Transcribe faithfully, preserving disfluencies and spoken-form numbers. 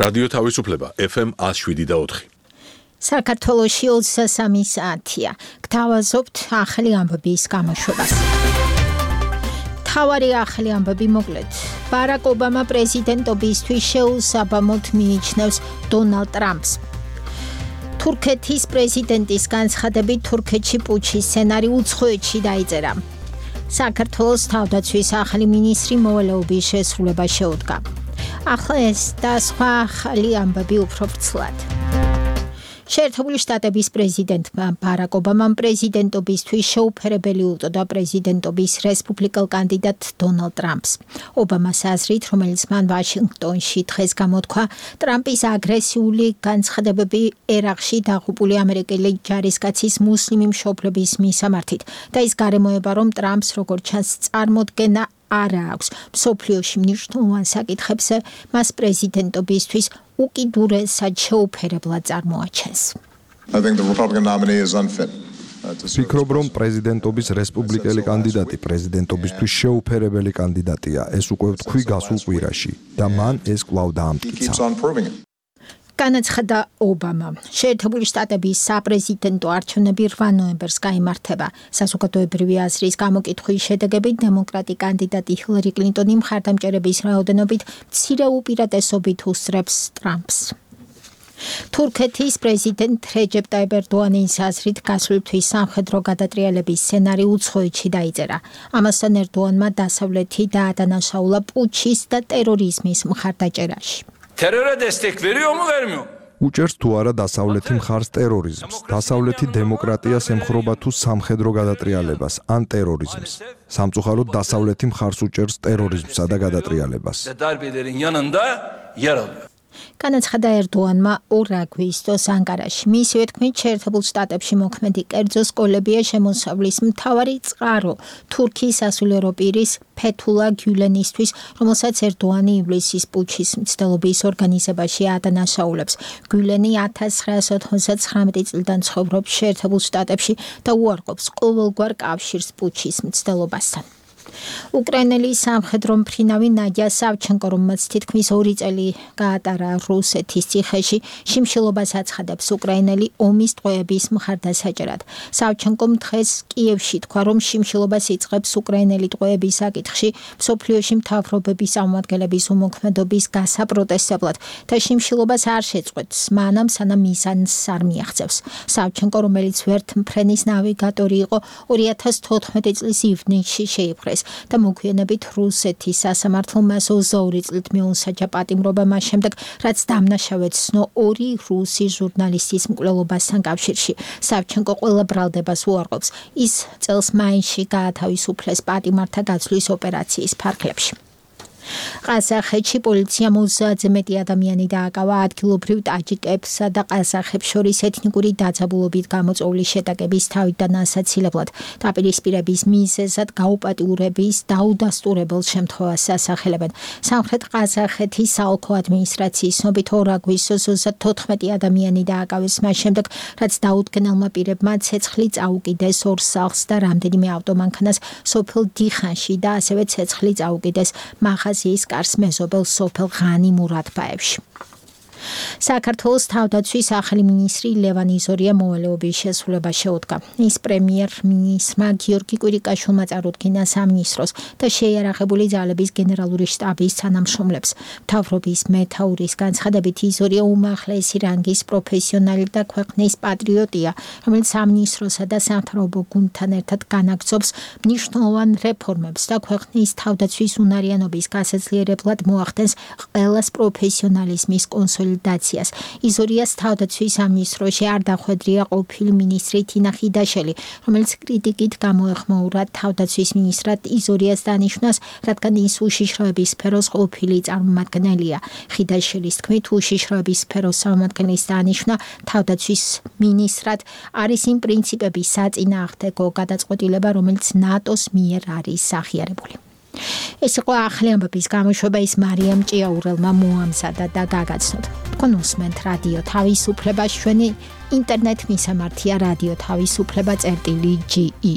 რადიო თავისუფლება ეფ ემ one oh seven და four. საქართველოში ოცდასამი საათია. გთავაზობთ ახალი ამბების გამოშვებას. თავარი ახალი ამბები მოკლედ. ბარაკ ობამა პრეზიდენტობისთვის შეუსაბამოდ მიიჩნევს დონალდ ტრამპს. თურქეთის პრეზიდენტის განცხადებით თურქეთში პუჩის სცენარი უცხოეთში დაიწერა. საქართველოს თავდაცვის ახალი მინისტრი მოვალეობის შესრულება შეუდგა. ახლა ეს და სხვა ახალი ამბები უფრო ვრცლად. შეერთებული შტატების პრეზიდენტმა ბარაკ ობამამ პრეზიდენტობისთვის შეუფერებელი უწოდა პრეზიდენტობის რესპუბლიკელ კანდიდატ დონალდ ტრამპს. ობამას აზრით, რომელიც მან ვაშინგტონში დღეს გამოთქვა, ტრამპის აგრესიული განცხადებები ერაყში დაღუპული ამერიკელი ჯარისკაცის მუსლიმი მშობლების მისამართით და ის გარემოება, რომ ტრამპს როგორც ჩანს წარმოდგენა არ აქვს მსოფლიოში მნიშვნელოვან საკითხებზე, მას პრეზიდენტობისთვის უკიდურესად შეუფერებლად წარმოაჩენს. ვფიქრობ, რომ პრეზიდენტობის რესპუბლიკელი კანდიდატი პრეზიდენტობისთვის შეუფერებელი კანდიდატია. ეს უკვე ვთქვი გასულ კვირაში და მან ეს კვლავ დაამტკიცა. განაცხადა ობამა. შეერთებული შტატების საპრეზიდენტო არჩევნები რვა ნოემბერს გაიმართება. საზოგადოებრივი აზრის გამოკითხვის შედეგებით დემოკრატი კანდიდატი ჰილარი კლინტონი მხარდამჭერების რაოდენობით მცირე უპირატესობით უსწრებს ტრამპს. თურქეთის პრეზიდენტ რეჯეპ ტაიპ ერდოანის აზრით გასული თვის სამხედრო გადატრიალების სცენარი უცხოეთში დაიწერა. ამასთან ერდოანმა დასავლეთი დაადანაშაულა პუჩის და ტერორიზმის მხარდაჭერაში. Teröre destek veriyor mu vermiyor? უჭერს თუ არა დასავლეთი მხარს ტერორიზმს, დასავლეთი დემოკრატიას ემხრობა თუ სამხედრო გადატრიალებას ან ტერორიზმს. სამწუხაროდ დასავლეთი მხარს უჭერს ტერორიზმსა და გადატრიალებას. Darbelerin yanında yer alıyor. განაცხადა ერდოანმა ორ აგვისტოს ანკარაში. მისივე თქმით, შეერთებულ შტატებში მოქმედი კერძო სკოლებია შემოსავლის მთავარი წყარო თურქიის სასულიერო პირის ფეთულა გიულენისთვის, რომელსაც ერდოანი ივლისის პუჩის მცდელობის ორგანიზებაში ადანაშაულებს. გიულენი ათას ცხრაასა ოცდათვრამეტი წლიდან ცხოვრობს შეერთებულ შტატებში და უარყოფს ყოველგვარ კავშირს პუჩის მცდელობასთან. უკრაინელი სამხედრო მფრინავი ნადია სავჩენკო, რომელმაც თითქმის ორი წელი გაატარა რუსეთის ციხეში, შიმშილობას აცხადებს უკრაინელი ომის ტყვეების მხარდასაჭერად. სავჩენკომ დღეს კიევში თქვა, რომ შიმშილობას იწყებს უკრაინელი ტყვეების საკითხში მსოფლიოში მთავრობების წარმომადგენლების უმოქმედობის გასაპროტესტებლად და შიმშილობას არ შეწყვეტს, მანამ სანამ მიზანს არ მიაღწევს. სავჩენკო, რომელიც ვერთმფრენის ნავიგატორი იყო, ორი ათას თოთხმეტი წლის ივნისში შეიპყრეს და მოგვიანებით რუსეთის სასამართლო მას ოცდაორი წლით მიუსაჯა პატიმრობა მას შემდეგ, რაც დამნაშავედ ცნო ორი რუსი ჟურნალისტის მკვლელობასთან კავშირში. სავჩენკო ყველა ბრალდებას უარყოფს. ის წელს მაისში გაათავისუფლეს პატიმართა გაცვლის ოპერაციის ფარგლებში. ყაზახეთში პოლიციამ ოცდაათზე მეტი ადამიანი დააკავა ადგილობრივ ტაჯიკებსა და ყაზახებს შორის ეთნიკური დაძაბულობით გამოწვეული შეტაკების თავიდან ასაცილებლად. დაპირისპირების მიზეზად გაუპატიურების დაუდასტურებელ შემთხვევას ასახელებენ. სამხრეთ ყაზახეთის საოლქო ადმინისტრაციის ცნობით ორ აგვისტოს ოცდათოთხმეტი ადამიანი დააკავეს მას შემდეგ, რაც დაუდგენელმა პირებმა ცეცხლი წაუკიდეს ორ სახლს და რამდენიმე ავტომანქანას სოფელ დიხანში და ასევე ცეცხლი წაუკიდეს მაღაზიის კარს მეზობელ სოფელ ღანი მურადბაევში. საქართველოს თავდაცვის ახალი მინისტრი ლევან იზორია მოვალეობის შესრულება შეუდგა. ის პრემიერ-მინისტრმა გიორგი კვირიკაშვილმა წარუდგინა სამინისტროს და შეიარაღებული ძალების გენერალური შტაბის თანამშრომლებს. მთავრობის მეთაურის განცხადებით იზორია უმაღლესი რანგის პროფესიონალი და ქვეყნის პატრიოტია, რომელიც სამინისტროსა და სამთავრობო გუნდთან ერთად განაგრძობს მნიშვნელოვან რეფორმებს და ქვეყნის თავდაცვის უნარიანობის გასაძლიერებლად მოახდენს ყველას პროფესიონალიზმის კონსოლიდაციას. იზორიას თავდაცვის სამინისტროში არ დახვედრია ყოფილი მინისტრი თინა ხიდაშელი, რომელიც კრიტიკით გამოეხმაურა თავდაცვის მინისტრად იზორიას დანიშვნას, რადგან ის უშიშროების სფეროს ყოფილი წარმომადგენელია. ხიდაშელის თქმით, უშიშროების სფეროს წარმომადგენლის დანიშვნა თავდაცვის მინისტრად არის იმ პრინციპების საწინააღმდეგო გადაწყვეტილება, რომელიც ნატოს მიერ არის აღიარებული. ეს იყო ახალი ამბების გამოშვება, ის მარიამ ჭიაურელმა მოამზადა და გაგაცნოთ. თქვენ უსმენთ რადიო თავისუფლებას, ჩვენი ინტერნეტ მისამართია რადიო თავისუფლება წერტილი ჯი ი.